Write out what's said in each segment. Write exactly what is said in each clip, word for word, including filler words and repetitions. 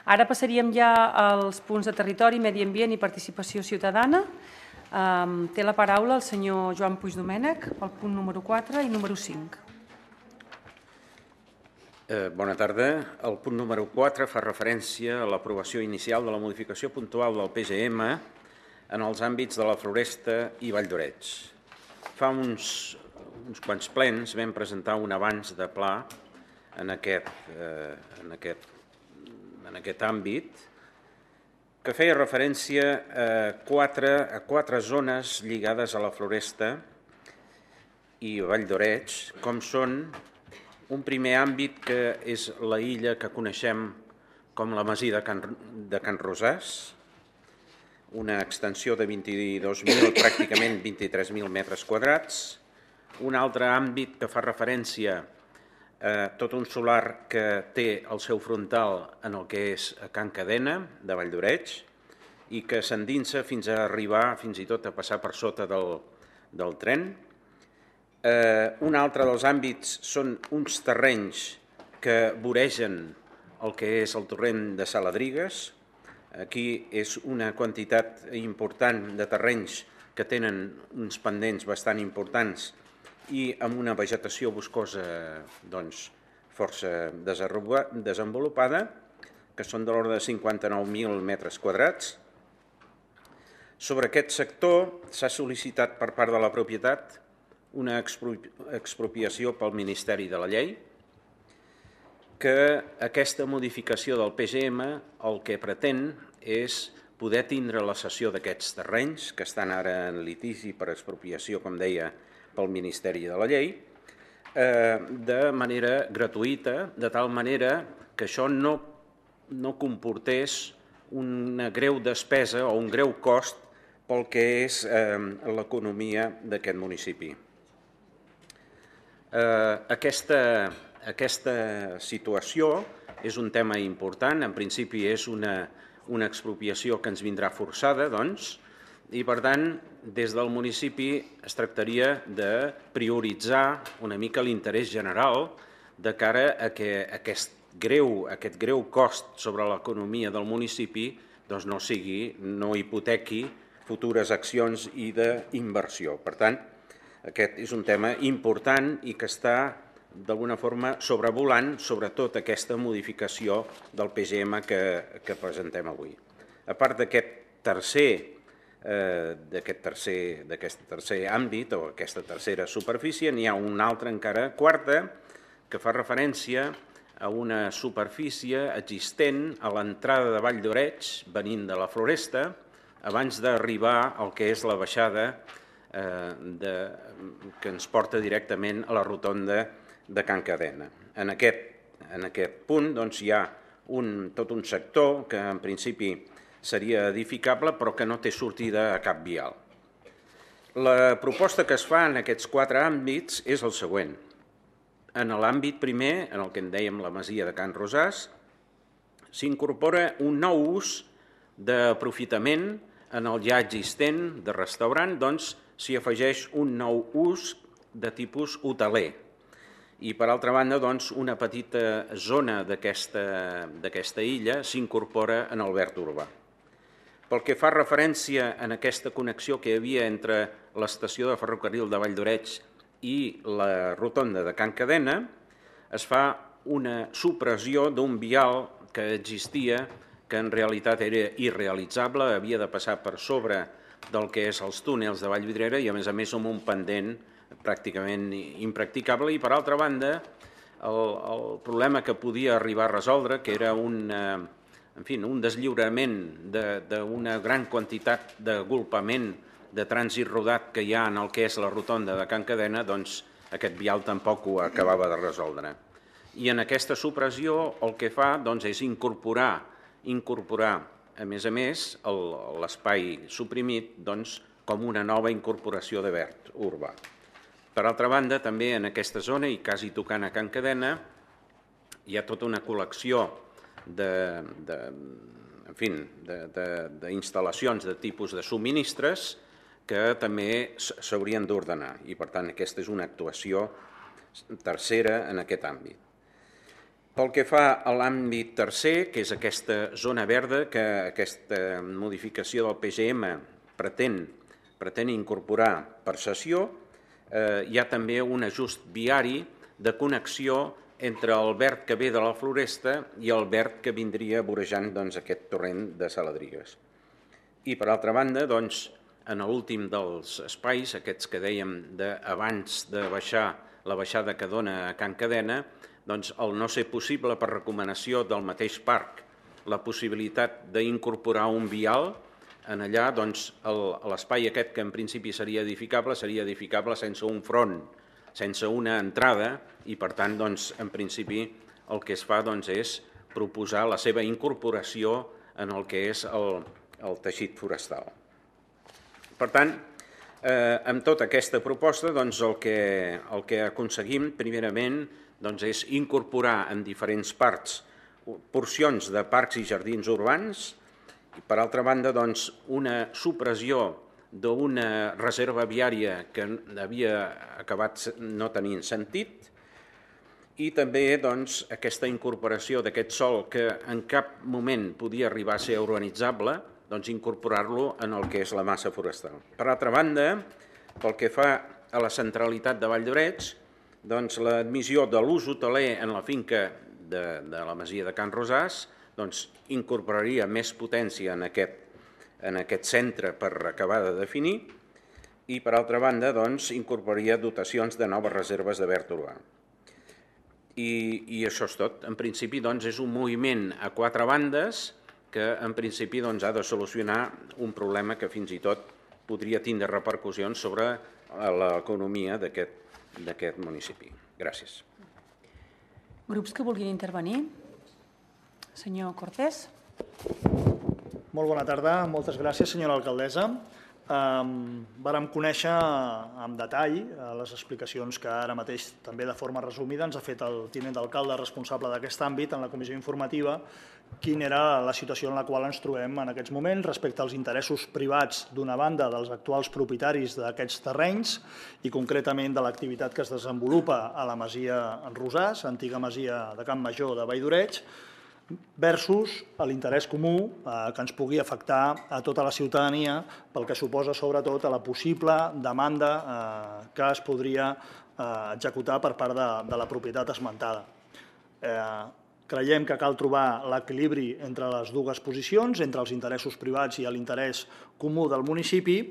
Ara passaríem ja als punts de territori, medi ambient i participació ciutadana. Té la paraula el senyor Joan Puigdomènech pel punt número quatre i número cinc. Bona tarda. El punt número quatre fa referència a l'aprovació inicial de la modificació puntual del P G M en els àmbits de la Floresta i Vall d'Oreig. Fa uns, uns quants plens vam presentar un avanç de pla en aquest, eh, en aquest, en aquest àmbit que feia referència a quatre, a quatre zones lligades a la Floresta i Vall d'Oreig, com són un primer àmbit que és la illa que coneixem com la masia de Can, de Can Rosàs, una extensió de vint-i-dos mil, pràcticament vint-i-tres mil metres quadrats. Un altre àmbit que fa referència a tot un solar que té el seu frontal en el que és a Can Cadena, de Vall d'Oreig, i que s'endinsa fins a arribar, fins i tot a passar per sota del, del tren. Eh, un altre dels àmbits són uns terrenys que voregen el que és el torrent de Saladrigues. Aquí és una quantitat important de terrenys que tenen uns pendents bastant importants i amb una vegetació boscosa doncs, força desenvolupada, que són de l'ordre de cinquanta-nou mil metres quadrats. Sobre aquest sector s'ha sol·licitat per part de la propietat una expropiació pel Ministeri de la Llei, que aquesta modificació del P G M el que pretén és poder tindre la cessió d'aquests terrenys, que estan ara en litigi per expropiació, com deia, pel Ministeri de la Llei, eh, de manera gratuïta, de tal manera que això no, no comportés una greu despesa o un greu cost pel que és eh, l'economia d'aquest municipi. Eh, aquesta, aquesta situació és un tema important, en principi és una, una expropiació que ens vindrà forçada, doncs, i per tant, des del municipi es tractaria de prioritzar una mica l'interès general de cara a que aquest greu, aquest greu cost sobre l'economia del municipi doncs no sigui, no hipotequi futures accions i d'inversió. Per tant, aquest és un tema important i que està d'alguna forma sobrevolant sobretot aquesta modificació del P G M que, que presentem avui. A part d'aquest tercer, eh, d'aquest tercer, d'aquest tercer àmbit o aquesta tercera superfície, n'hi ha una altra encara quarta que fa referència a una superfície existent a l'entrada de Vall d'Oreig, venint de la Floresta, abans d'arribar al que és la baixada eh, de, que ens porta directament a la rotonda de Can Cadena. En aquest, en aquest punt doncs, hi ha un, tot un sector que en principi seria edificable però que no té sortida a cap vial. La proposta que es fa en aquests quatre àmbits és el següent. En l'àmbit primer, en el que en dèiem la masia de Can Rosàs, s'incorpora un nou ús d'aprofitament en el ja existent de restaurant, doncs s'hi afegeix un nou ús de tipus hoteler. I, per altra banda, doncs, una petita zona d'aquesta illa s'incorpora en el verd urbà. Pel que fa referència en aquesta connexió que hi havia entre l'estació de ferrocarril de Vall d'Oreig i la rotonda de Can Cadena, es fa una supressió d'un vial que existia, que en realitat era irrealitzable, havia de passar per sobre del que és els túnels de Vallvidrera i, a més a més, amb un pendent pràcticament impracticable. I, per altra banda, el, el problema que podia arribar a resoldre, que era un, en fi, un deslliurament d'una gran quantitat d'agolpament de trànsit rodat que hi ha en el que és la rotonda de Can Cadena, doncs aquest vial tampoc ho acabava de resoldre. I en aquesta supressió el que fa doncs, és incorporar, incorporar, a més a més, l'espai suprimit doncs, com una nova incorporació de verd urbà. Per altra banda, també en aquesta zona, i quasi tocant a Can Cadena, hi ha tota una col·lecció d'instal·lacions de, de, de, de tipus de subministres que també s'haurien d'ordenar i, per tant, aquesta és una actuació tercera en aquest àmbit. Pel que fa a l'àmbit tercer, que és aquesta zona verda, que aquesta modificació del P G M pretén, pretén incorporar per cessió, eh, hi ha també un ajust viari de connexió entre el verd que ve de la Floresta i el verd que vindria vorejant doncs, aquest torrent de Saladrigues. I, per altra banda, doncs, en l'últim dels espais, aquests que dèiem de, abans de baixar la baixada que dona a Can Cadena, doncs, el no ser possible per recomanació del mateix parc la possibilitat d'incorporar un vial, en allà doncs, l'espai aquest que en principi seria edificable seria edificable sense un front, sense una entrada i per tant doncs, en principi el que es fa doncs, és proposar la seva incorporació en el que és el, el teixit forestal. Per tant, eh, amb tota aquesta proposta doncs, el, que, el que aconseguim primerament doncs, és incorporar en diferents parts porcions de parcs i jardins urbans i, per altra banda, doncs, una supressió d'una reserva viària que havia acabat no tenint sentit i també doncs, aquesta incorporació d'aquest sòl que en cap moment podia arribar a ser urbanitzable, doncs, incorporar-lo en el que és la massa forestal. Per altra banda, pel que fa a la centralitat de Vall d'Oreig, doncs, l'admissió de l'ús hoteler en la finca de, de la masia de Can Rosàs doncs, incorporaria més potència en aquest, en aquest centre per acabar de definir i, per altra banda, doncs, incorporaria dotacions de noves reserves de verd urbà. I, i això és tot. En principi, doncs, és un moviment a quatre bandes que, en principi, doncs, ha de solucionar un problema que fins i tot podria tindre repercussions sobre l'economia d'aquest d'aquest municipi. Gràcies. Grups que vulguin intervenir? Senyor Cortés. Molt bona tarda. Moltes gràcies, senyora alcaldessa. Um, vàrem conèixer amb detall les explicacions que ara mateix, també de forma resumida, ens ha fet el tinent d'alcalde responsable d'aquest àmbit en la comissió informativa, quina era la situació en la qual ens trobem en aquests moments respecte als interessos privats, d'una banda, dels actuals propietaris d'aquests terrenys i concretament de l'activitat que es desenvolupa a la masia Rosàs, antiga masia de Can Major de Vall d'Oreig, versus l'interès comú que ens pugui afectar a tota la ciutadania pel que suposa sobretot a la possible demanda que es podria executar per part de, de la propietat esmentada. Eh, creiem que cal trobar l'equilibri entre les dues posicions, entre els interessos privats i l'interès comú del municipi.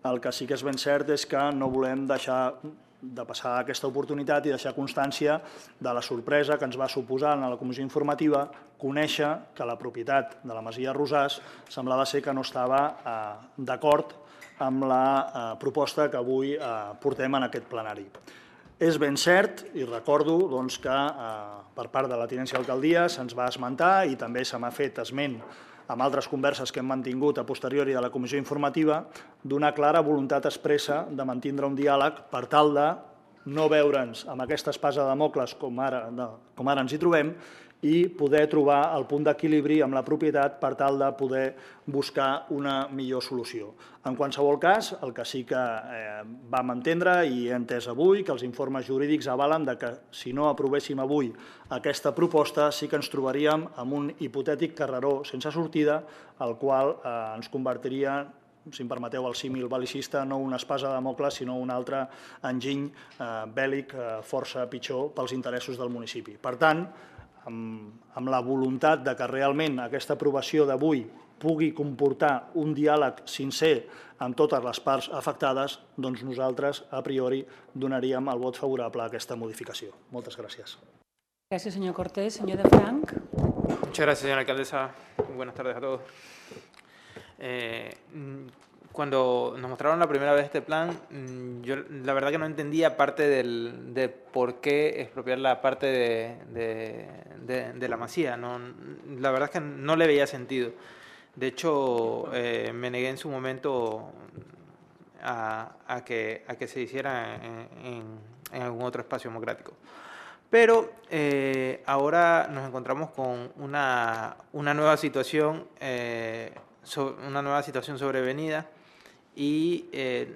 El que sí que és ben cert és que no volem deixar de passar aquesta oportunitat i deixar constància de la sorpresa que ens va suposar en la comissió informativa conèixer que la propietat de la masia Rosàs semblava ser que no estava eh, d'acord amb la eh, proposta que avui eh, portem en aquest plenari. És ben cert, i recordo doncs, que eh, per part de la tinència d'alcaldia se'ns va esmentar i també se m'ha fet esment amb altres converses que hem mantingut a posteriori de la comissió informativa, d'una clara voluntat expressa de mantindre un diàleg per tal de no veure'ns amb aquesta espasa de Dàmocles com ara, com ara ens hi trobem i poder trobar el punt d'equilibri amb la propietat per tal de poder buscar una millor solució. En qualsevol cas, el que sí que eh, vam entendre i he entès avui, que els informes jurídics avalen de que si no aprovéssim avui aquesta proposta sí que ens trobaríem amb un hipotètic carreró sense sortida, el qual eh, ens convertiria, si em permeteu el símil bel·licista, no una espasa de Dàmocles, sinó un altre enginy eh, bèl·lic eh, força pitjor pels interessos del municipi. Per tant, amb, amb la voluntat de que realment aquesta aprovació d'avui pugui comportar un diàleg sincer amb totes les parts afectades, doncs nosaltres, a priori, donaríem el vot favorable a aquesta modificació. Moltes gràcies. Gràcies, senyor Cortés. Senyor de Frank. Muchas gracias, señora alcaldesa. Muy buenas tardes a todos. Eh, Cuando nos mostraron la primera vez este plan, yo la verdad que no entendía parte del, de por qué expropiar la parte de, de, de, de la masía. No, la verdad es que no le veía sentido. De hecho, eh, me negué en su momento a, a, que, a que se hiciera en, en, en algún otro espacio democrático. Pero eh, ahora nos encontramos con una, una nueva situación, eh, so, una nueva situación sobrevenida. y eh,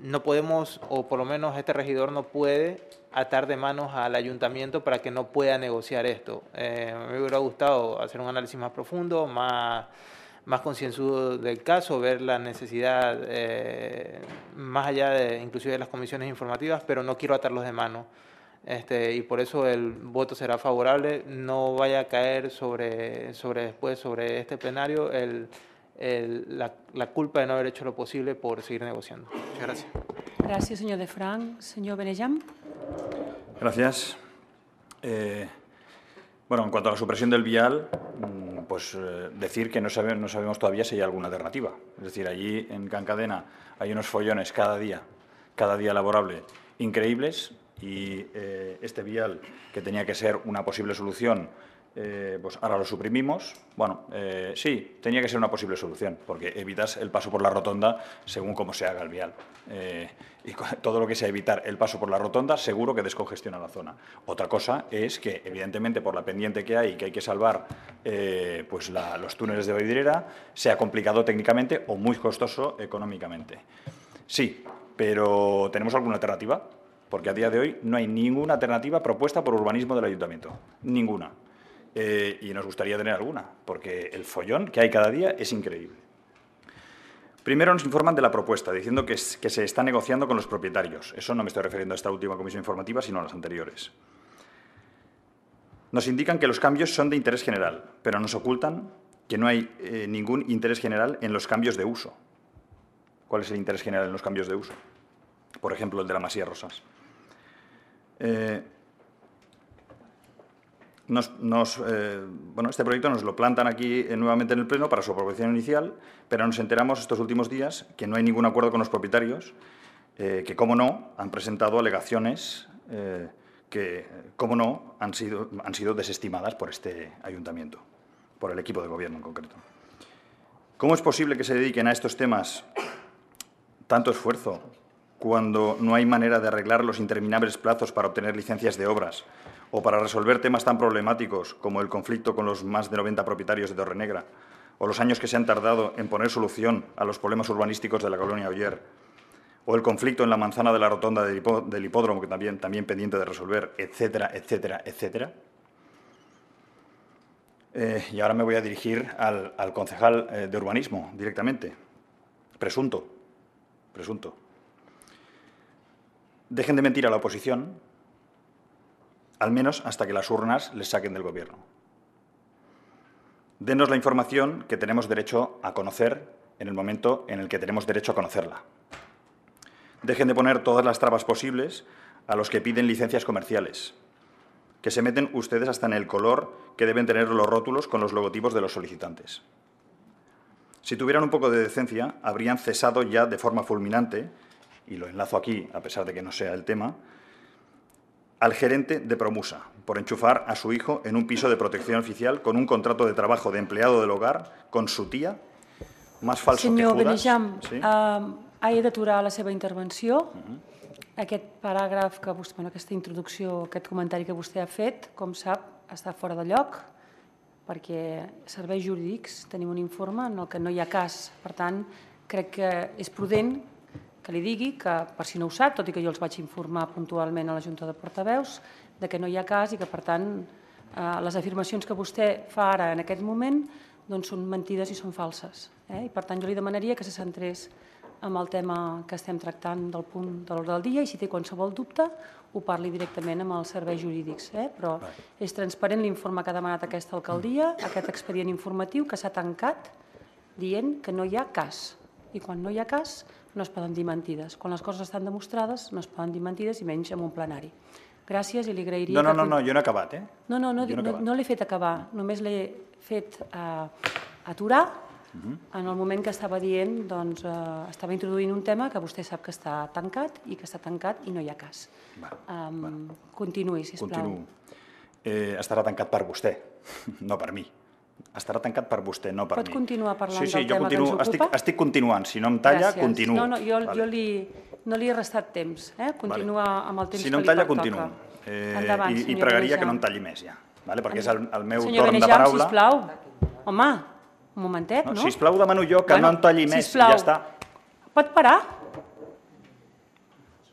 no podemos, o por lo menos este regidor no puede atar de manos al ayuntamiento para que no pueda negociar esto. Eh, me hubiera gustado hacer un análisis más profundo, más, más concienzudo del caso, ver la necesidad eh, más allá de inclusive de las comisiones informativas, pero no quiero atarlos de mano. Este, y por eso el voto será favorable. No vaya a caer sobre, sobre después, sobre este plenario, el, el, la, la culpa de no haber hecho lo posible por seguir negociando. Muchas gracias. Gracias, señor De Frank. Señor Benejam. Gracias. Eh, bueno, en cuanto a la supresión del vial, pues eh, decir que no, sabe, no sabemos todavía si hay alguna alternativa. Es decir, allí en Can Cadena hay unos follones cada día, cada día laborable, increíbles. Y eh, este vial, que tenía que ser una posible solución, eh, pues ahora lo suprimimos. Bueno, eh, sí, tenía que ser una posible solución, porque evitas el paso por la rotonda según cómo se haga el vial. Eh, y todo lo que sea evitar el paso por la rotonda, seguro que descongestiona la zona. Otra cosa es que, evidentemente, por la pendiente que hay y que hay que salvar eh, pues la, los túneles de Vallvidrera, sea complicado técnicamente o muy costoso económicamente. Sí, pero ¿tenemos alguna alternativa? Porque a día de hoy no hay ninguna alternativa propuesta por urbanismo del ayuntamiento. Ninguna. Eh, y nos gustaría tener alguna, porque el follón que hay cada día es increíble. Primero nos informan de la propuesta, diciendo que, es, que se está negociando con los propietarios. Eso no me estoy refiriendo a esta última comisión informativa, sino a las anteriores. Nos indican que los cambios son de interés general, pero nos ocultan que no hay eh, ningún interés general en los cambios de uso. ¿Cuál es el interés general en los cambios de uso? Por ejemplo, el de la Masía Rosas. Eh, nos, nos, eh, bueno, este proyecto nos lo plantan aquí eh, nuevamente en el Pleno para su aprobación inicial, pero nos enteramos estos últimos días que no hay ningún acuerdo con los propietarios, eh, que, como no, han presentado alegaciones eh, que, como no, han sido, han sido desestimadas por este ayuntamiento, por el equipo de gobierno en concreto. ¿Cómo es posible que se dediquen a estos temas tanto esfuerzo cuando no hay manera de arreglar los interminables plazos para obtener licencias de obras o para resolver temas tan problemáticos como el conflicto con los más de noventa propietarios de Torrenegra o los años que se han tardado en poner solución a los problemas urbanísticos de la colonia Oller o el conflicto en la manzana de la rotonda del, hipó del hipódromo, que también, también pendiente de resolver, etcétera, etcétera, etcétera? Eh, y ahora me voy a dirigir al, al concejal eh, de urbanismo directamente. Presunto. Presunto. Dejen de mentir a la oposición, al menos hasta que las urnas les saquen del Gobierno. Denos la información que tenemos derecho a conocer en el momento en el que tenemos derecho a conocerla. Dejen de poner todas las trabas posibles a los que piden licencias comerciales, que se meten ustedes hasta en el color que deben tener los rótulos con los logotipos de los solicitantes. Si tuvieran un poco de decencia, habrían cesado ya de forma fulminante, y lo enlazo aquí, a pesar de que no sea el tema, al gerente de Promusa, por enchufar a su hijo en un piso de protección oficial con un contrato de trabajo de empleado del hogar con su tía, más falso Senyor que Judas. Benejam, Sí? uh, he d'aturar la seva intervenció. Uh -huh. Aquest paràgraf, que vostè, bueno, aquesta introducció, aquest comentari que vostè ha fet, com sap, està fora de lloc, perquè serveis jurídics tenim un informe en el que no hi ha cas. Per tant, crec que és prudent que li digui que, per si no ho sap, tot i que jo els vaig informar puntualment a la Junta de Portaveus, de que no hi ha cas i que, per tant, eh, les afirmacions que vostè fa ara en aquest moment doncs són mentides i són falses. Eh? I, per tant, jo li demanaria que se centrés en el tema que estem tractant del punt de l'ordre del dia i si té qualsevol dubte ho parli directament amb els serveis jurídics. Eh? Però és transparent l'informe que ha demanat aquesta alcaldia, aquest expedient informatiu que s'ha tancat dient que no hi ha cas. I quan no hi ha cas no es poden dir mentides. Quan les coses estan demostrades no es poden dir mentides i menys en un plenari. Gràcies i li agrairia... No, no, que... no, no, jo no he acabat, eh? No, no, no, no, no, no l'he fet acabar, només l'he fet eh, aturar uh-huh. en el moment que estava dient, doncs, eh, estava introduint un tema que vostè sap que està tancat i que està tancat i no hi ha cas. Vale, um, vale. Continuï, sisplau. Continuo. Eh, estarà tancat per vostè, no per mi. Estarà tancat per vostè, no per Pot mi. Pot continuar parlant sí, sí, del tema continuo, que ens ocupa? Estic, estic continuant, si no em talla, Gràcies. continuo. No, no, jo, vale. jo li, no li he restat temps, eh? Continua vale. amb el temps si no que em talla, li toca. continuo. Eh, Endavant, I, I pregaria que no em talli més, ja, vale? perquè és el, el meu senyor torn Benejam, de paraula. sisplau. Home, un momentet, no? no? Sisplau, demano jo que bueno, no em talli més, sisplau. i ja està. Pot parar?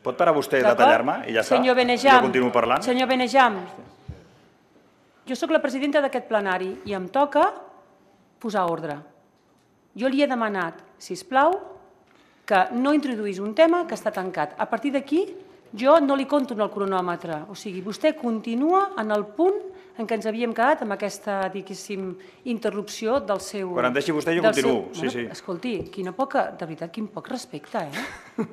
Pot parar vostè de D'acord? tallar-me i ja està? Senyor I Benejam, jo continuo parlant? Senyor Benejam, jo sóc la presidenta d'aquest plenari i em toca posar ordre. Jo li he demanat, si us plau, que no introduís un tema que està tancat. A partir d'aquí, jo no li conto en el cronòmetre. O sigui, vostè continua en el punt en què ens havíem quedat amb aquesta, diguéssim, interrupció del seu... Quan em deixi vostè, jo del continuo. seu- Sí, sí. Escolti, quina poca, de veritat, quin poc respecte, eh?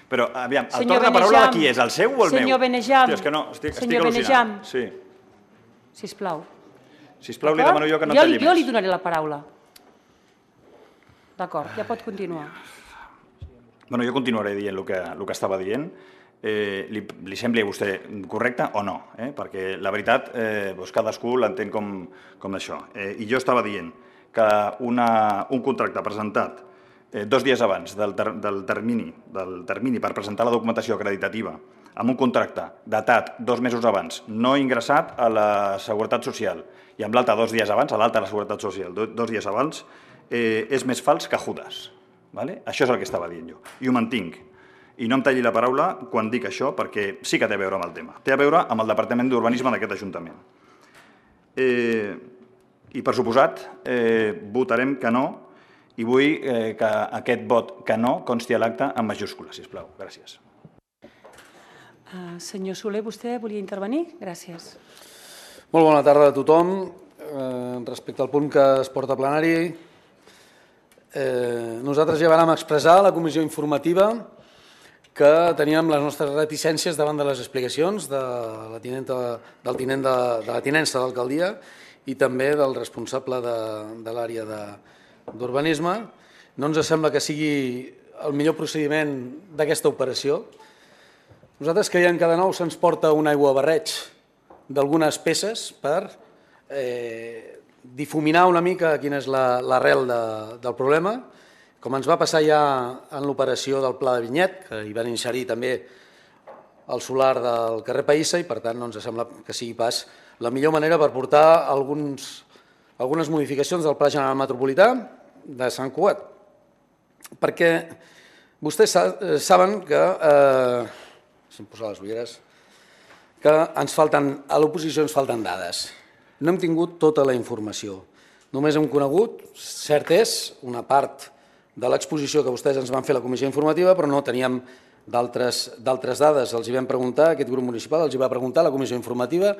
Però, aviam, el Senyor torn de paraula de Benejam, qui és? El seu o el meu? senyor Benejam, Hòstia, és que no, estic, estic senyor al·lucinant. Benejam. Sí. Sisplau. Sisplau, li demano jo que no jo, talli li- jo li més. donaré la paraula. D'acord, ja pot continuar. Bueno, jo continuaré dient el que, el que estava dient. Eh, li, li sembli a vostè correcte o no? Eh? Perquè la veritat, eh, doncs cadascú l'entén com, com això. Eh, I jo estava dient que una, un contracte presentat eh, dos dies abans del, ter, del, termini, del termini per presentar la documentació acreditativa amb un contracte datat dos mesos abans, no ingressat a la Seguretat Social, i amb l'altre dos dies abans, a l'alta de la Seguretat Social, do, dos dies abans, eh, és més fals que Judas. Vale? Això és el que estava dient jo. I ho mantinc. I no em talli la paraula quan dic això, perquè sí que té a veure amb el tema. Té a veure amb el Departament d'Urbanisme d'aquest Ajuntament. Eh, I, per suposat, eh, votarem que no, i vull eh, que aquest vot que no consti a l'acte en majúscules, sisplau. Gràcies. Uh, senyor Soler, vostè volia intervenir? Gràcies. Molt bona tarda a tothom. Eh, respecte al punt que es porta a plenari, eh, nosaltres ja vam expressar a la comissió informativa que teníem les nostres reticències davant de les explicacions de la tinenta, del tinent de, de la tinença d'alcaldia i també del responsable de, de l'àrea d'urbanisme. No ens sembla que sigui el millor procediment d'aquesta operació. Nosaltres creiem que de nou se'ns porta un aiguabarreig d'algunes peces per eh, difuminar una mica quina és l'arrel de, del problema, com ens va passar ja en l'operació del Pla de Vinyet, que hi van inserir també el solar del carrer Païssa, i per tant no ens sembla que sigui pas la millor manera per portar alguns, algunes modificacions del Pla General Metropolità de Sant Cugat. Perquè vostès saben que... Eh, si em posa les ulleres, que ens falten, a l'oposició ens falten dades. No hem tingut tota la informació. Només hem conegut, cert és, una part de l'exposició que vostès ens van fer a la comissió informativa, però no teníem d'altres dades. Els hi vam preguntar, aquest grup municipal els hi va preguntar a la comissió informativa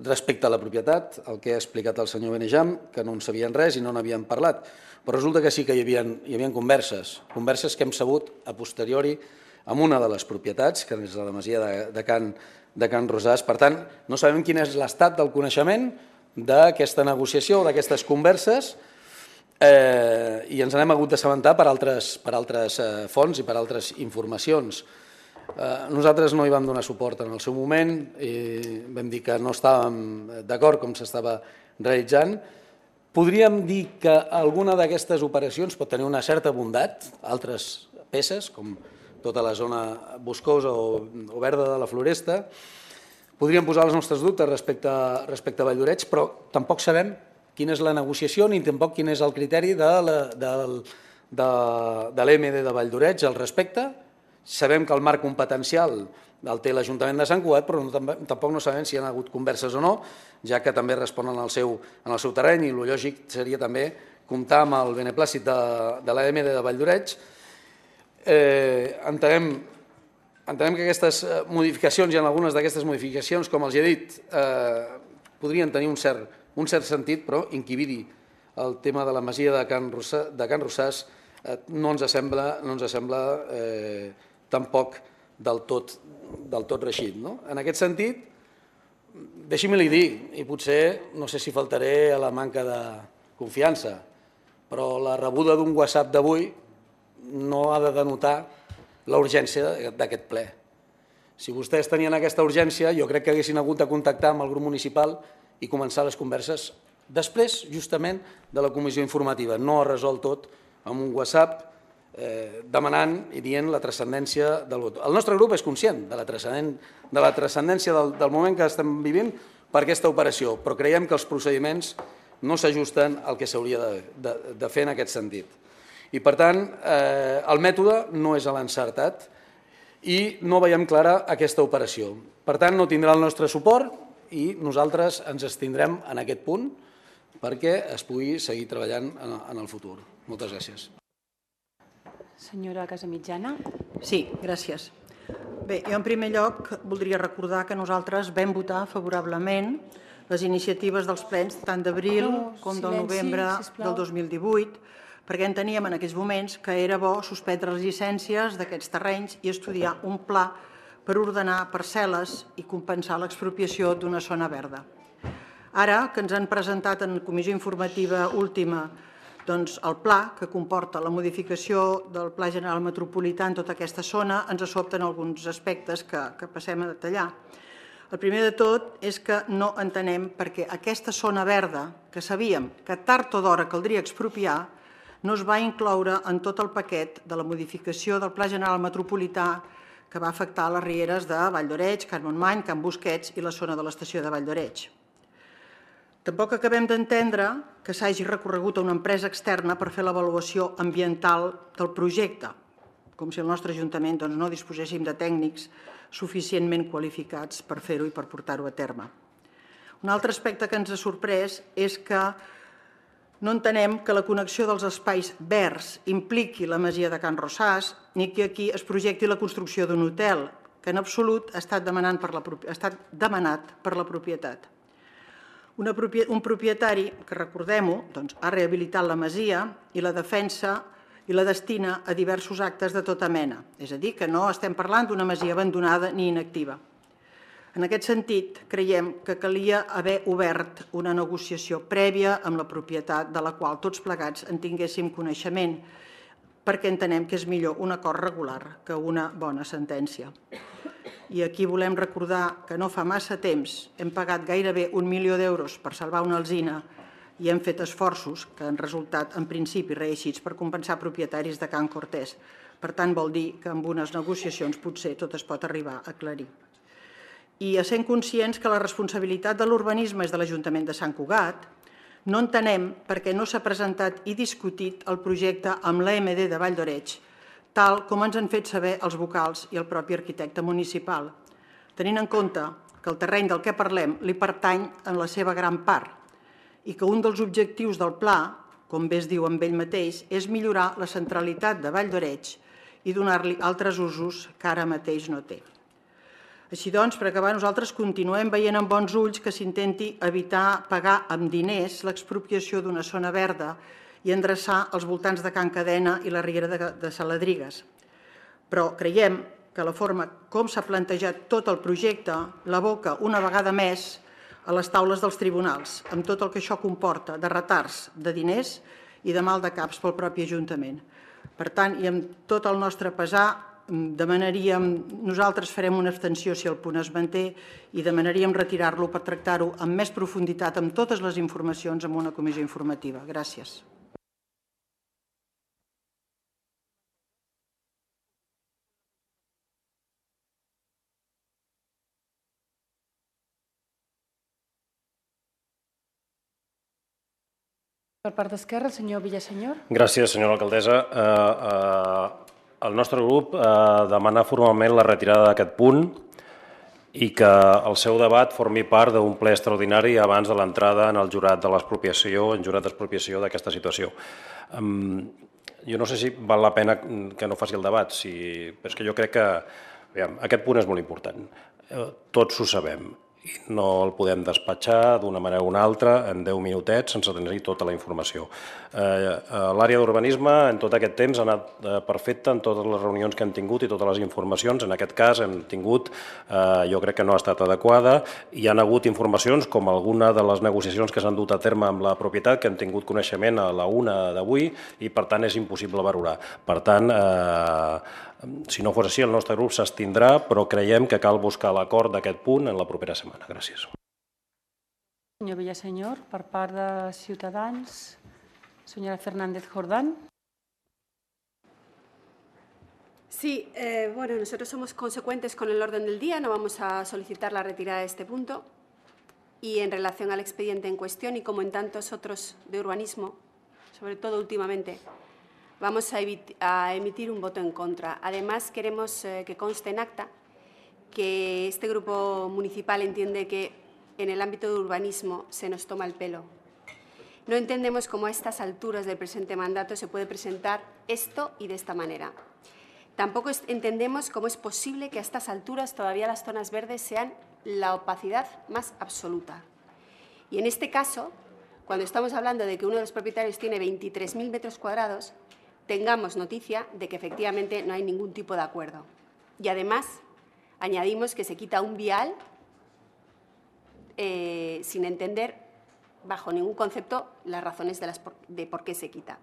respecte a la propietat, el que ha explicat el senyor Benejam, que no en sabien res i no n'havien parlat. Però resulta que sí que hi havia, hi havia converses, converses que hem sabut a posteriori amb una de les propietats, que és la masia de, de, Can, de Can Rosàs. Per tant, no sabem quin és l'estat del coneixement d'aquesta negociació o d'aquestes converses eh, i ens n'hem hagut d'assabentar per altres, per altres eh, fonts i per altres informacions. Eh, nosaltres no hi vam donar suport en el seu moment i vam dir que no estàvem d'acord com s'estava realitzant. Podríem dir que alguna d'aquestes operacions pot tenir una certa bondat, altres peces, com tota la zona boscosa o, o verda de la Floresta. Podríem posar els nostres dubtes respecte, respecte a Valldoreix, però tampoc sabem quina és la negociació ni tampoc quin és el criteri de l'E M D de Valldoreix al respecte. Sabem que el marc competencial el té l'Ajuntament de Sant Cugat, però no, tampoc no sabem si hi ha hagut converses o no, ja que també responen al seu, en el seu terreny, i el lògic seria també comptar amb el beneplàcit de, de l'E M D de Valldoreix. Eh, entenem, entenem que aquestes modificacions i en algunes d'aquestes modificacions, com els he dit, eh, podrien tenir un cert, un cert sentit, però inquibir el tema de la masia de Can, Rossà, de Can Rosàs eh, no ens sembla, no ens sembla eh, tampoc del tot, del tot reixit. No? En aquest sentit, deixi'm-li dir, i potser no sé si faltaré a la manca de confiança, però la rebuda d'un WhatsApp d'avui no ha de denotar la urgència d'aquest ple. Si vostès tenien aquesta urgència, jo crec que haguessin hagut de contactar amb el grup municipal i començar les converses després, justament, de la comissió informativa. No ha resolt tot amb un WhatsApp eh, demanant i dient la transcendència del vot. El nostre grup és conscient de la transcendència del, del moment que estem vivint per aquesta operació, però creiem que els procediments no s'ajusten al que s'hauria de, de, de fer en aquest sentit. I, per tant, eh, el mètode no és l'encertat i no veiem clara aquesta operació. Per tant, no tindrà el nostre suport i nosaltres ens abstindrem en aquest punt perquè es pugui seguir treballant en el futur. Moltes gràcies. Senyora Casamitjana. Sí, gràcies. Bé, jo en primer lloc voldria recordar que nosaltres vam votar favorablement les iniciatives dels plens tant d'abril com del novembre del dos mil divuit, perquè enteníem en aquells moments que era bo suspendre les llicències d'aquests terrenys i estudiar un pla per ordenar parcel·les i compensar l'expropiació d'una zona verda. Ara que ens han presentat en comissió informativa última doncs, el pla que comporta la modificació del Pla General Metropolità en tota aquesta zona, ens sobten alguns aspectes que, que passem a detallar. El primer de tot és que no entenem perquè aquesta zona verda, que sabíem que tard o d'hora caldria expropiar, no es va incloure en tot el paquet de la modificació del Pla General Metropolità que va afectar les rieres de Vall d'Oreig, Can Montmany, Can Busquets i la zona de l'estació de Vall d'Oreig. Tampoc acabem d'entendre que s'hagi recorregut a una empresa externa per fer l'avaluació ambiental del projecte, com si el nostre Ajuntament no disposéssim de tècnics suficientment qualificats per fer-ho i per portar-ho a terme. Un altre aspecte que ens ha sorprès és que no entenem que la connexió dels espais verds impliqui la masia de Can Rosàs ni que aquí es projecti la construcció d'un hotel, que en absolut ha estat demanat per la propietat. Un propietari, que recordem-ho, ha rehabilitat la masia i la defensa i la destina a diversos actes de tota mena. És a dir, que no estem parlant d'una masia abandonada ni inactiva. En aquest sentit, creiem que calia haver obert una negociació prèvia amb la propietat de la qual tots plegats en tinguéssim coneixement, perquè entenem que és millor un acord regular que una bona sentència. I aquí volem recordar que no fa massa temps hem pagat gairebé un milió d'euros per salvar una alzina i hem fet esforços que han resultat en principi reeixits per compensar propietaris de Can Cortés. Per tant, vol dir que amb unes negociacions potser tot es pot arribar a aclarir. I essent conscients que la responsabilitat de l'urbanisme és de l'Ajuntament de Sant Cugat, no entenem per què no s'ha presentat i discutit el projecte amb l'A M D de Vall d'Oreig, tal com ens han fet saber els vocals i el propi arquitecte municipal, tenint en compte que el terreny del que parlem li pertany en la seva gran part i que un dels objectius del pla, com bé es diu amb ell mateix, és millorar la centralitat de Vall d'Oreig i donar-li altres usos que ara mateix no té. Així doncs, per acabar, nosaltres continuem veient amb bons ulls que s'intenti evitar pagar amb diners l'expropiació d'una zona verda i endreçar els voltants de Can Cadena i la riera de Saladrigues. Però creiem que la forma com s'ha plantejat tot el projecte l'aboca una vegada més a les taules dels tribunals, amb tot el que això comporta de retards de diners i de mal de caps pel propi Ajuntament. Per tant, i amb tot el nostre pesar, demanaríem, nosaltres farem una abstenció si el punt es manté i demanaríem retirar-lo per tractar-ho amb més profunditat amb totes les informacions en una comissió informativa. Gràcies. Per part d'Esquerra, el senyor Villasenyor. Gràcies, senyora alcaldessa. El nostre grup demana formalment la retirada d'aquest punt i que el seu debat formi part d'un ple extraordinari abans de l'entrada en el jurat de l'expropiació, en jurat d'expropiació d'aquesta situació. Jo no sé si val la pena que no faci el debat, però és que jo crec que aquest punt és molt important. Tots ho sabem. No el podem despatxar d'una manera o una altra en deu minutets sense tenir tota la informació. L'àrea d'urbanisme en tot aquest temps ha anat perfecta en totes les reunions que hem tingut i totes les informacions. En aquest cas hem tingut, jo crec que no ha estat adequada. Hi ha hagut informacions com alguna de les negociacions que s'han dut a terme amb la propietat que hem tingut coneixement a la una d'avui i per tant és impossible valorar. Per tant, si no fos així, el nostre grup s'abstindrà, però creiem que cal buscar l'acord d'aquest punt en la propera setmana. Gràcies. Senyor Villasenyor, per part de Ciutadans, senyora Fernández Jordán. Sí, eh, bueno, nosotros somos consecuentes con el orden del día, no vamos a solicitar la retirada de este punto. Y en relación al expediente en cuestión y como en tantos otros de urbanismo, sobre todo últimamente, vamos a emitir un voto en contra. Además, queremos que conste en acta que este grupo municipal entiende que en el ámbito de urbanismo se nos toma el pelo. No entendemos cómo a estas alturas del presente mandato se puede presentar esto y de esta manera. Tampoco entendemos cómo es posible que a estas alturas todavía las zonas verdes sean la opacidad más absoluta. Y en este caso, cuando estamos hablando de que uno de los propietarios tiene veintitrés mil metros cuadrados, tengamos noticia de que efectivamente no hay ningún tipo de acuerdo. Y además, añadimos que se quita un vial eh, sin entender, bajo ningún concepto, las razones de, las por, de por qué se quita.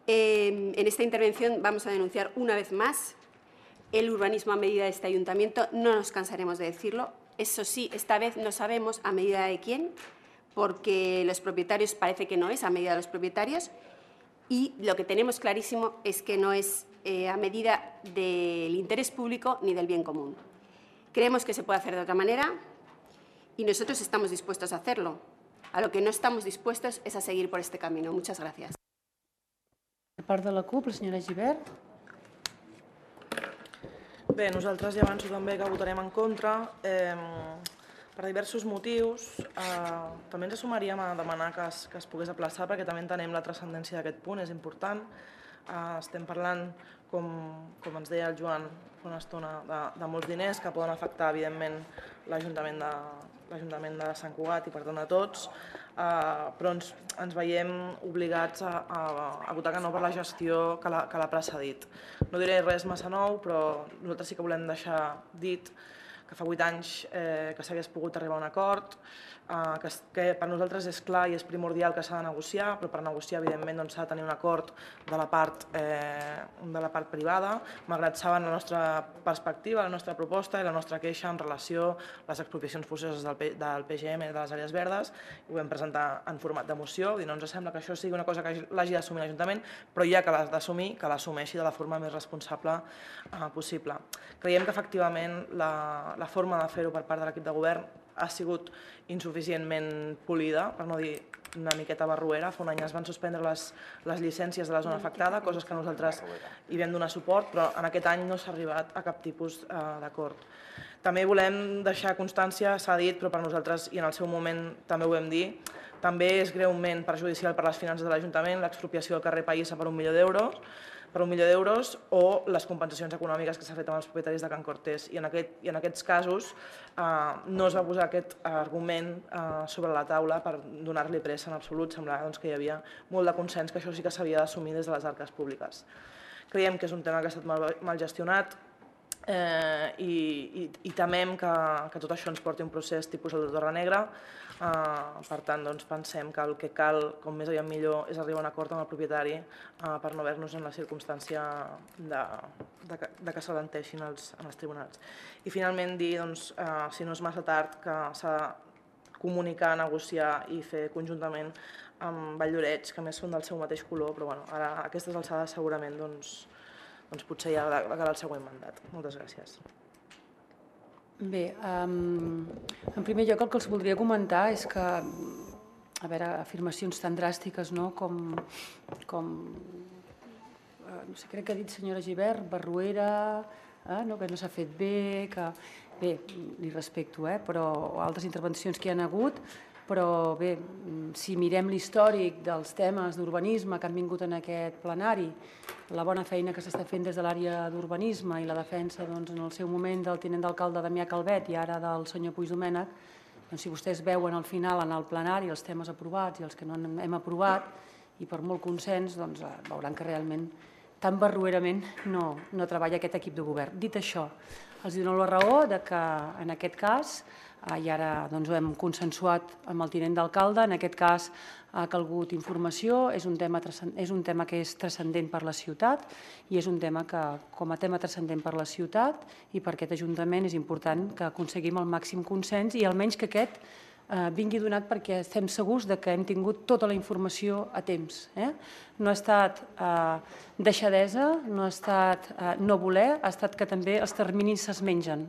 Eh, en esta intervención vamos a denunciar una vez más el urbanismo a medida de este ayuntamiento. No nos cansaremos de decirlo. Eso sí, esta vez no sabemos a medida de quién, porque los propietarios parece que no es a medida de los propietarios, y lo que tenemos clarísimo es que no es eh, a medida del interés público ni del bien común. Creemos que se puede hacer de otra manera y nosotros estamos dispuestos a hacerlo. A lo que no estamos dispuestos es a seguir por este camino. Muchas gracias. Per part de la CUP, la senyora Gibert. Bé, nosaltres ja avanço també que votarem en contra eh, per diversos motius. Eh, també ens sumaríem a demanar que es, que es pogués aplaçar perquè també entenem la transcendència d'aquest punt, és important. Eh, estem parlant, com, com ens deia el Joan fa una estona, de, de molts diners que poden afectar, evidentment, l'Ajuntament de, l'Ajuntament de Sant Cugat i, per tant, a tots, uh, però ens, ens veiem obligats a, a, a votar que no per la gestió que l'ha precedit. No diré res massa nou, però nosaltres sí que volem deixar dit que fa vuit anys eh, que s'hagués pogut arribar a un acord, eh, que, que per nosaltres és clar i és primordial que s'ha de negociar, però per negociar, evidentment, doncs, s'ha de tenir un acord de la part, eh, de la part privada, malgrat saben la nostra perspectiva, la nostra proposta i la nostra queixa en relació a les expropiacions forçoses del, P, del P G M de les àrees verdes. Ho vam presentar en format de moció, i no ens sembla que això sigui una cosa que l'hagi d'assumir l'Ajuntament, però ja que l'ha d'assumir, que l'assumeixi de la forma més responsable eh, possible. Creiem que, efectivament, la la forma de fer-ho per part de l'equip de govern ha sigut insuficientment polida, per no dir una miqueta barruera. Fa un any es van suspendre les, les llicències de la zona afectada, coses que nosaltres hi vam donar suport, però en aquest any no s'ha arribat a cap tipus eh, d'acord. També volem deixar constància, s'ha dit, però per nosaltres, i en el seu moment també ho vam dir, també és greument perjudicial per les finances de l'Ajuntament l'expropiació del carrer Païssa per un milió d'euros, per un milió d'euros o les compensacions econòmiques que s'ha fet amb els propietaris de Can Cortés. I en, aquest, i en aquests casos eh, no es va posar aquest argument eh, sobre la taula per donar-li pressa en absolut. Semblava doncs, que hi havia molt de consens que això sí que s'havia d'assumir des de les arques públiques. Creiem que és un tema que ha estat mal, mal gestionat eh, i, i, i temem que, que tot això ens porti un procés tipus el de Torre Negra. Uh, per tant, doncs, pensem que el que cal, com més aviat millor, és arribar a un acord amb el propietari uh, per no haver-nos en la circumstància de, de, de que s'alenteixin els, en els tribunals. I finalment dir, doncs, uh, si no és massa tard, que s'ha de comunicar, negociar i fer conjuntament amb Valldoreix, que més són del seu mateix color, però bueno, ara a aquestes alçades segurament doncs, doncs potser ja ha de quedar el següent mandat. Moltes gràcies. Bé, um, en primer lloc el que els voldria comentar és que, a veure, afirmacions tan dràstiques, no?, com, com uh, no sé, crec que ha dit senyora Gibert, barruera, eh, no, que no s'ha fet bé, que, bé, li respecto, eh, però altres intervencions que hi ha hagut, però bé, si mirem l'històric dels temes d'urbanisme que han vingut en aquest plenari, la bona feina que s'està fent des de l'àrea d'urbanisme i la defensa doncs, en el seu moment del tinent d'alcalde Damià Calvet i ara del senyor Puigdomènech, doncs, si vostès veuen al final en el plenari els temes aprovats i els que no hem aprovat, i per molt consens, doncs, veuran que realment tan barruerament no, no treballa aquest equip de govern. Dit això, els dono la raó de que en aquest cas, i ara doncs, ho hem consensuat amb el tinent d'alcalde, en aquest cas ha calgut informació, és un tema, és un tema que és transcendent per la ciutat i és un tema que, com a tema transcendent per la ciutat i per aquest Ajuntament, és important que aconseguim el màxim consens i almenys que aquest vingui donat perquè estem segurs que hem tingut tota la informació a temps. No ha estat deixadesa, no ha estat no voler, ha estat que també els terminis se'ns mengen.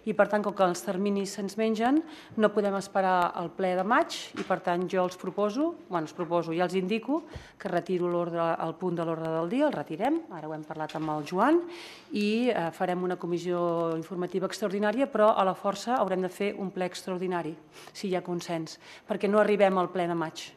I per tant, com que els terminis se'ns mengen, no podem esperar el ple de maig i per tant jo els proposo, bueno, els proposo i els indico que retiro el punt de l'ordre del dia, el retirem, ara ho hem parlat amb el Joan, i farem una comissió informativa extraordinària, però a la força haurem de fer un ple extraordinari, si hi ha consens, perquè no arribem al ple de maig.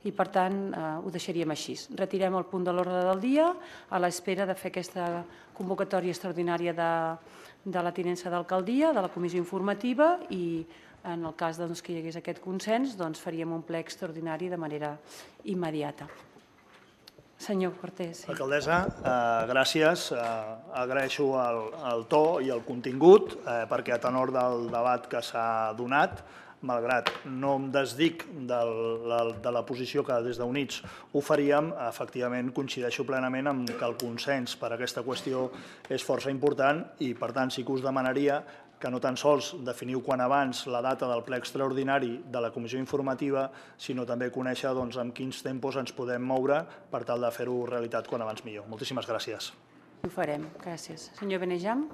I per tant ho deixaríem així. Retirem el punt de l'ordre del dia a l'espera de fer aquesta convocatòria extraordinària de la tinença d'alcaldia, de la comissió informativa, i en el cas que hi hagués aquest consens faríem un ple extraordinari de manera immediata. Senyor Cortés. Alcaldessa, gràcies. Agraeixo el to i el contingut perquè a tenor del debat que s'ha donat, malgrat no em desdic de la posició que des d'Units ho faríem, efectivament coincideixo plenament amb que el consens per a aquesta qüestió és força important i, per tant, sí que us demanaria que no tan sols definiu quan abans la data del ple extraordinari de la comissió informativa, sinó també conèixer amb quins tempos ens podem moure per tal de fer-ho realitat quan abans millor. Moltíssimes gràcies. Ho farem. Gràcies. Senyor Benejam.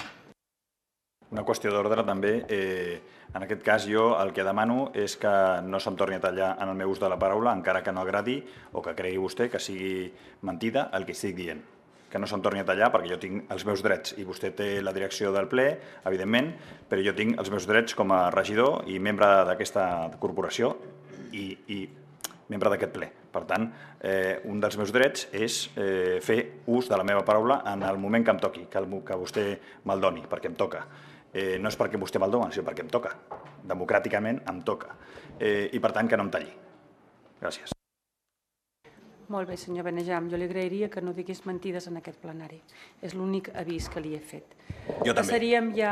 Una qüestió d'ordre també. En aquest cas jo el que demano és que no se'm torni a tallar en el meu ús de la paraula, encara que no agradi o que cregui vostè que sigui mentida el que estic dient. Que no se'm torni a tallar perquè jo tinc els meus drets i vostè té la direcció del ple, evidentment, però jo tinc els meus drets com a regidor i membre d'aquesta corporació i membre d'aquest ple. Per tant, un dels meus drets és fer ús de la meva paraula en el moment que em toqui, que vostè me'l doni, perquè em toca. No és perquè vostè me'l doni, sinó perquè em toca. Democràticament em toca. I per tant, que no em talli. Gràcies. Molt bé, senyor Benejam. Jo li agrairia que no digués mentides en aquest plenari. És l'únic avís que li he fet. Jo també. Passaríem ja